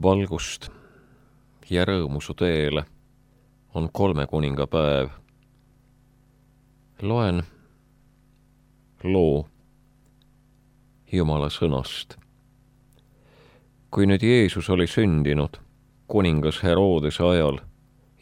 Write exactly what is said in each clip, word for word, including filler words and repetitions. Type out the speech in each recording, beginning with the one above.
Valgust ja rõõmu su teele on kolme kuninga päev. Loen loo Jumala sõnast. Kui nüüd Jeesus oli sündinud kuningas Herodese ajal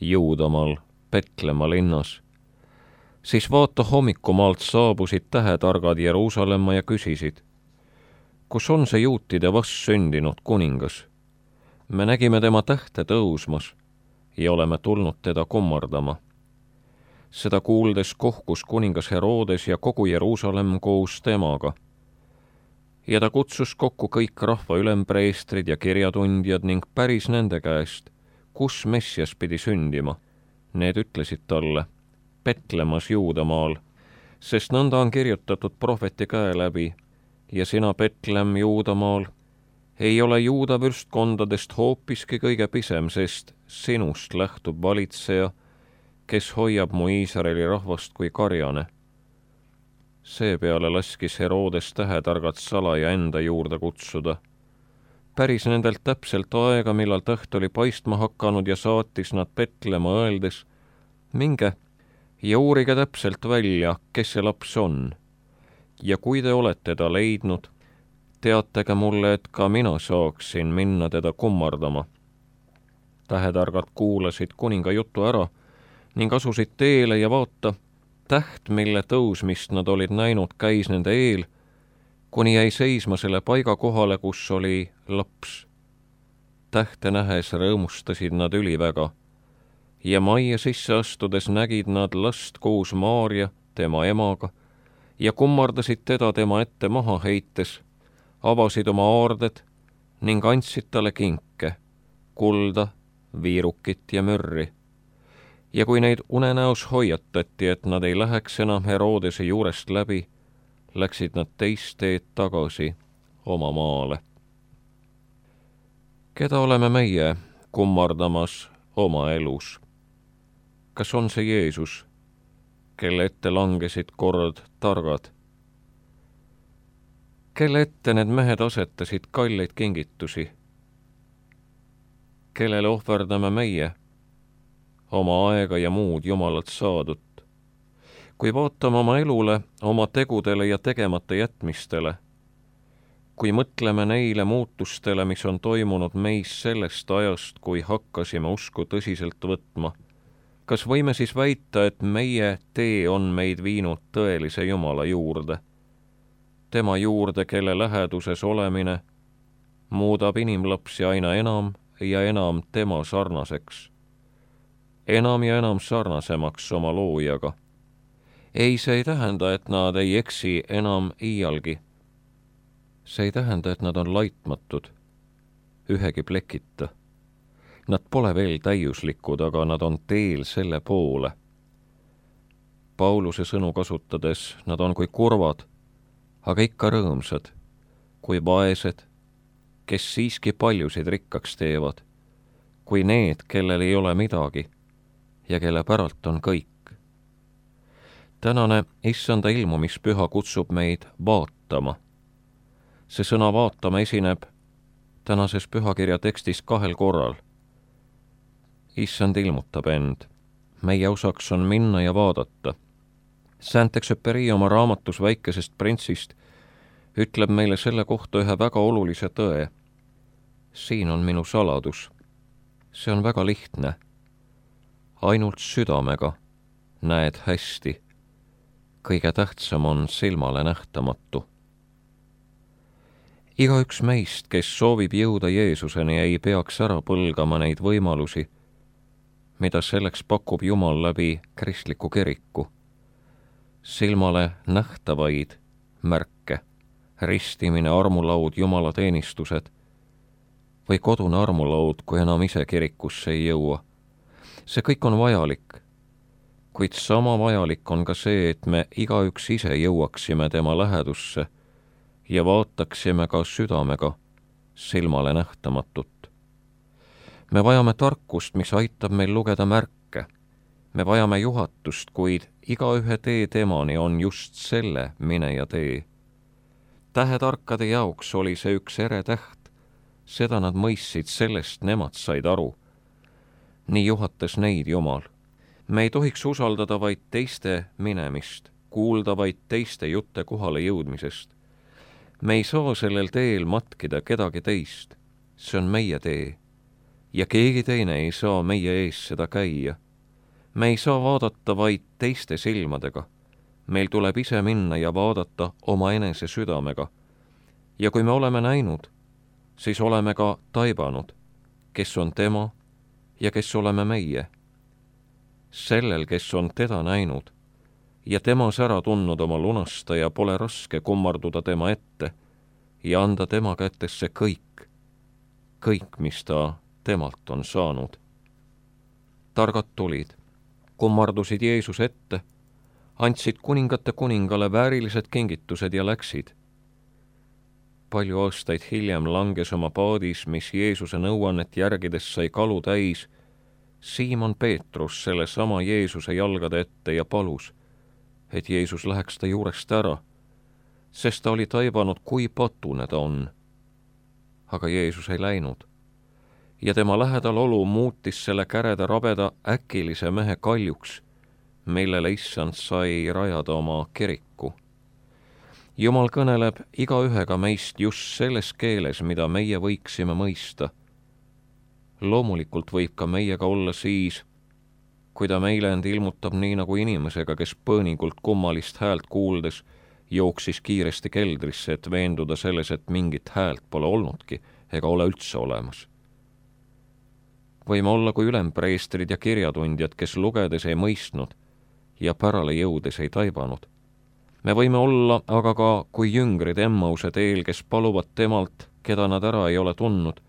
Juudamaal Petlemma linnas, siis vaata hommikumaalt saabusid tähetargad Jeruusalemma ja küsisid, kus on see juutide vast sündinud kuningas? Me nägime tema tähte tõusmas ja oleme tulnud teda kummardama. Seda kuuldes kohkus kuningas Herodes ja kogu Jeruusalemm koos temaga. Ja ta kutsus kokku kõik rahva ülempreestrid ja kirjatundjad ning päris nende käest, kus Messias pidi sündima. Need ütlesid talle, Petlemmas Juudamaal, sest nõnda on kirjutatud prohveti käe läbi, ja sina, Petlemm Juudamaal, ei ole Juuda võrstkondadest hoopiski kõige pisem, sest sinust lähtub valitseja, kes hoiab mu Iisraeli rahvast kui karjane. Seepeale laskis Herodes tähetargad salaja enda juurde kutsuda. Päris nendelt täpselt aega, millal täht oli paistma hakanud ja saatis nad Petlemma öeldes, minge ja uurige täpselt välja, kes see laps on. Ja kui te olete ta leidnud, teatage mulle, et ka mina saaksin minna teda kummardama. Tähetargad kuulasid kuninga jutu ära ning asusid teele ja vaata, täht, mille tõusmist nad olid näinud, käis nende eel, kuni jäi seisma selle paiga kohale, kus oli laps. Tähte nähes rõõmustasid nad üliväga ja majja sisse astudes nägid nad last koos Maaria, tema emaga, ja kummardasid teda tema ette maha heites, avasid oma aarded ning andsid talle kinke, kulda, viirukit ja mürri. Ja kui neid unenäos hoiatati, et nad ei läheks enam Herodese juurest läbi, läksid nad teist teed tagasi oma maale. Keda oleme meie kummardamas oma elus? Kas on see Jeesus, kelle ette langesid kord targad? Kelle ette need mehed asetasid kalleid kingitusi? Kellele ohverdame meie oma aega ja muud Jumalalt saadut? Kui vaatame oma elule, oma tegudele ja tegemata jätmistele, kui mõtleme neile muutustele, mis on toimunud meis sellest ajast, kui hakkasime usku tõsiselt võtma, kas võime siis väita, et meie tee on meid viinud tõelise Jumala juurde? Tema juurde, kelle läheduses olemine muudab inimlapsi aina enam ja enam tema sarnaseks. Enam ja enam sarnasemaks oma loojaga. Ei, see ei tähenda, et nad ei eksi enam iialgi. See ei tähenda, et nad on laitmatud, ühegi plekita. Nad pole veel täiuslikud, aga nad on teel selle poole. Pauluse sõnu kasutades nad on kui kurvad, aga ikka rõõmsad, kui vaesed, kes siiski paljusid rikkaks teevad, kui need, kellel ei ole midagi ja kelle päralt on kõik. Tänane issanda ilmumispüha kutsub meid vaatama. See sõna vaatama esineb tänases pühakirja tekstis kahel korral. Issand ilmutab end. Meie osaks on minna ja vaadata. Saint-Exupéry oma raamatus Väikesest printsist ütleb meile selle kohta ühe väga olulise tõe. Siin on minu saladus. See on väga lihtne. Ainult südamega näed hästi. Kõige tähtsam on silmale nähtamatu. Igaüks meist, kes soovib jõuda Jeesuseni, ei peaks ära põlgama neid võimalusi, mida selleks pakub Jumal läbi kristliku kiriku. Silmale nähtavaid märke, ristimine, armulaud, Jumala teenistused või kodune armulaud, kui enam ise kirikusse ei jõua. See kõik on vajalik, kuid sama vajalik on ka see, et me igaüks ise jõuaksime tema lähedusse ja vaataksime ka südamega silmale nähtamatut. Me vajame tarkust, mis aitab meil lugeda märke. Me vajame juhatust, kuid igaühe tee temani on just selle mineja tee. Tähetarkade jaoks oli see üks ere täht, seda nad mõistsid, sellest nemad said aru. nii juhatas neid Jumal. me ei tohiks usaldada vaid teiste minemist, kuulda vaid teiste jutte kohale jõudmisest. me ei saa sellel teel matkida kedagi teist, see on meie tee. ja keegi teine ei saa meie ees seda käia. me ei saa vaadata vaid teiste silmadega. meil tuleb ise minna ja vaadata omaenese südamega. ja kui me oleme näinud, siis oleme ka taibanud, kes on tema ja kes oleme meie. sellel, kes on teda näinud ja temas ära tundnud oma lunastaja, pole raske kummarduda tema ette ja anda tema kätesse kõik, kõik, mis ta temalt on saanud. targad tulid, kummardusid Jeesus ette, andsid kuningate kuningale väärilised kingitused ja läksid. palju aastaid hiljem langes oma paadis, mis Jeesuse nõuannet järgides sai kalu täis, Siimon Peetrus sellesama Jeesuse jalgade ette ja palus, et Jeesus läheks ta juurest ära, sest ta oli taibanud, kui patune ta on. aga Jeesus ei läinud ja tema lähedal olu muutis selle käreda rabeda äkilise mehe kaljuks, millele issand sai rajada oma kiriku. Jumal kõneleb igaühega meist just selles keeles, mida meie võiksime mõista. loomulikult võib ka meiega olla siis, kui ta meile end ilmutab nii nagu inimesega, kes põõningult kummalist häält kuuldes jooksis kiiresti keldrisse, et veenduda selles, et mingit häält pole olnudki ega ole üldse olemas. võime olla kui ülempreestrid ja kirjatundjad, kes lugedes ei mõistnud ja pärale jõudes ei taibanud. me võime olla aga ka kui jüngrid Emmause teel, kes paluvad temalt, keda nad ära ei ole tundnud,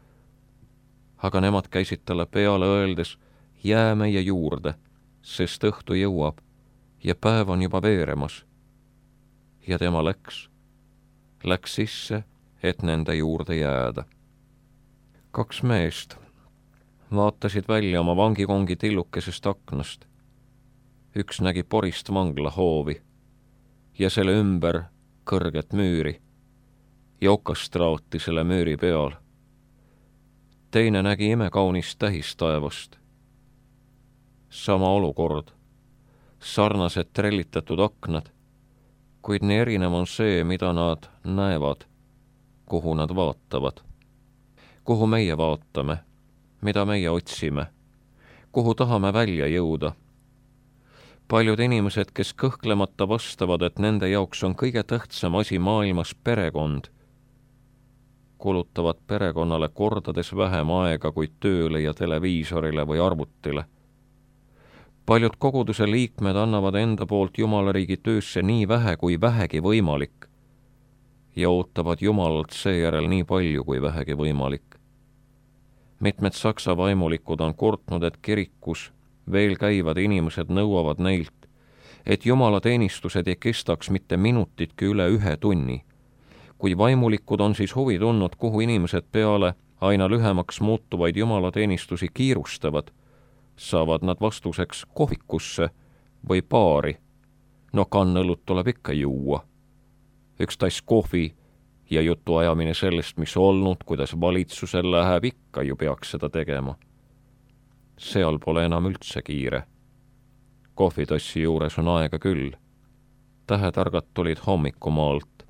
aga nemad käisid talle peale öeldes, jää meie juurde, sest õhtu jõuab ja päev on juba veeremas. ja tema läks, läks sisse, et nende juurde jääda. kaks meest vaatasid välja oma vangikongi tillukesest aknast. üks nägi porist vanglahoovi ja selle ümber kõrget müüri ja okastraati selle müüri peal. teine nägi imekaunist tähistaevast. sama olukord, sarnased trellitatud aknad, kuid nii erinev on see, mida nad näevad, kuhu nad vaatavad. kuhu meie vaatame, mida meie otsime, kuhu tahame välja jõuda. paljud inimesed, kes kõhklemata vastavad, et nende jaoks on kõige tähtsam asi maailmas perekond, kulutavad perekonnale kordades vähem aega kui tööle ja televiisorile või arvutile. paljud koguduse liikmed annavad enda poolt Jumala riigi töösse nii vähe kui vähegi võimalik ja ootavad Jumalalt seejärel nii palju kui vähegi võimalik. mitmed saksa vaimulikud on kurtnud, et kirikus veel käivad inimesed nõuavad neilt, et Jumala teenistused ei kestaks mitte minutitki üle ühe tunni. kui vaimulikud on siis huvi tundnud, kuhu inimesed peale aina lühemaks muutuvaid Jumala teenistusi kiirustavad, saavad nad vastuseks kohvikusse või baari. no kannõlut tuleb ikka juua. üks tass kohvi ja jutuajamine sellest, mis olnud, kuidas valitsusel läheb, ikka ju peaks seda tegema. seal pole enam üldse kiire. kohvitassi juures on aega küll. tähetargad tulid hommikumaalt.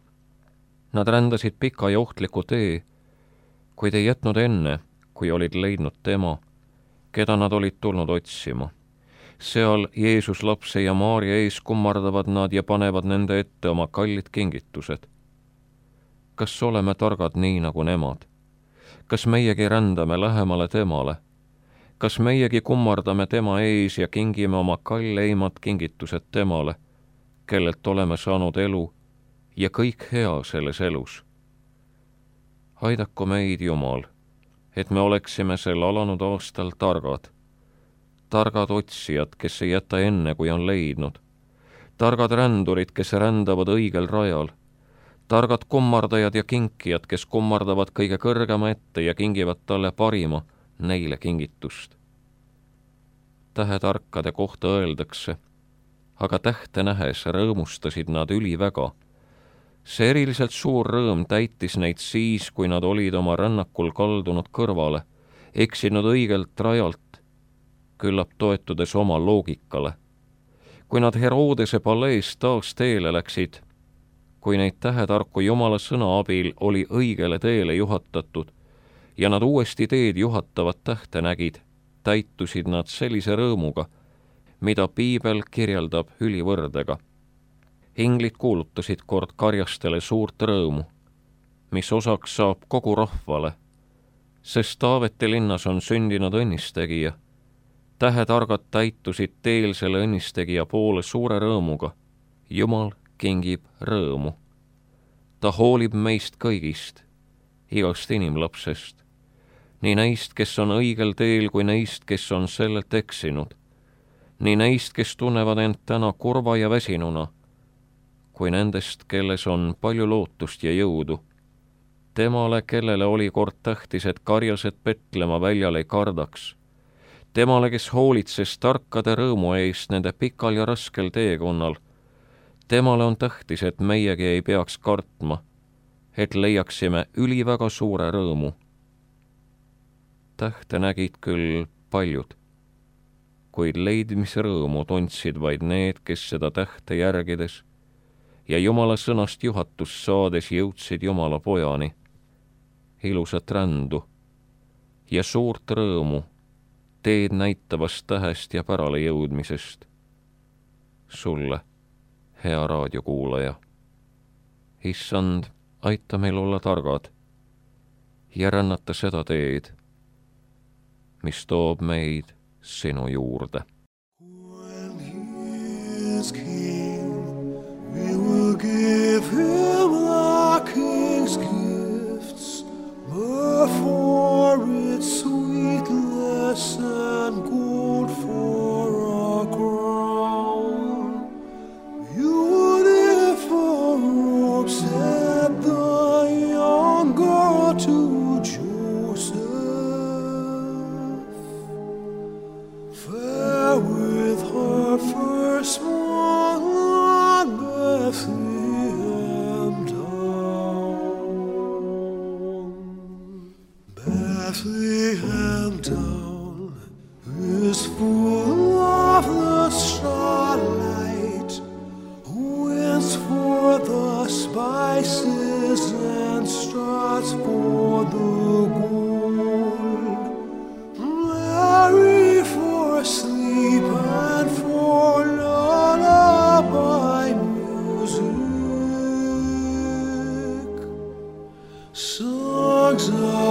Nad rändasid pika ja ohtliku tee, kuid ei jätnud enne, kui olid leidnud tema, keda nad olid tulnud otsima. seal Jeesus lapse ja Maarja ees kummardavad nad ja panevad nende ette oma kallid kingitused. kas oleme targad nii nagu nemad? kas meiegi rändame lähemale temale? kas meiegi kummardame tema ees ja kingime oma kalleimad kingitused temale, kellelt oleme saanud elu ja kõik hea selles elus? aidaku meid, Jumal, et me oleksime sel alanud aastal targad. targad otsijad, kes ei jäta enne, kui on leidnud. targad rändurid, kes rändavad õigel rajal. targad kummardajad ja kinkijad, kes kummardavad kõige kõrgema ette ja kingivad talle parima, neile kingitust. Tähetarkade kohta öeldakse, aga tähte nähes rõõmustasid nad üliväga. See eriliselt suur rõõm täitis neid siis, kui nad olid oma rännakul kaldunud kõrvale, eksinud õigelt rajalt, küllap toetudes oma loogikale. Kui nad Herodese palees taas teele läksid, kui neid tähetarku Jumala sõna abil oli õigele teele juhatatud ja nad uuesti teed juhatavat tähte nägid, täitusid nad sellise rõõmuga, mida piibel kirjeldab ülivõrdega. Inglid kuulutasid kord karjastele suurt rõõmu, mis osaks saab kogu rahvale, sest Taaveti linnas on sündinud õnnistegija. Tähetargad täitusid teel selle õnnistegija poole suure rõõmuga. Jumal kingib rõõmu. Ta hoolib meist kõigist, igast inimlapsest, nii neist, kes on õigel teel, kui neist, kes on sellelt eksinud, nii neist, kes tunnevad end täna kurva ja väsinuna, kui nendest, kelles on palju lootust ja jõudu. Temale, kellele oli kord tähtis, et karjased Betlema väljal ei kardaks, temale, kes hoolitses tarkade rõõmu eest nende pikal ja raskel teekonnal, temale on tähtis, et meiegi ei peaks kartma, et leiaksime üliväga suure rõõmu. Tähte nägid küll paljud, kuid leidmisrõõmu tundsid vaid need, kes seda tähte järgides ja Jumala sõnast juhatust saades jõudsid Jumala pojani, ilusat rändu ja suurt rõõmu teed näitavast tähest ja pärale jõudmisest. Sulle, hea raadiokuulaja, issand, aita meil olla targad ja rännata seda teed, mis toob meid sinu juurde. When he is king, we will give him the king's gifts, before its sweetness and gold for a crown, beautiful robes at the young girl to Joseph, fair with her firstborn on Bethlehem town. Bethlehem town is full of the starlight, winds for the spices and stars for the gold, Mary for sleep and for lullaby music, songs of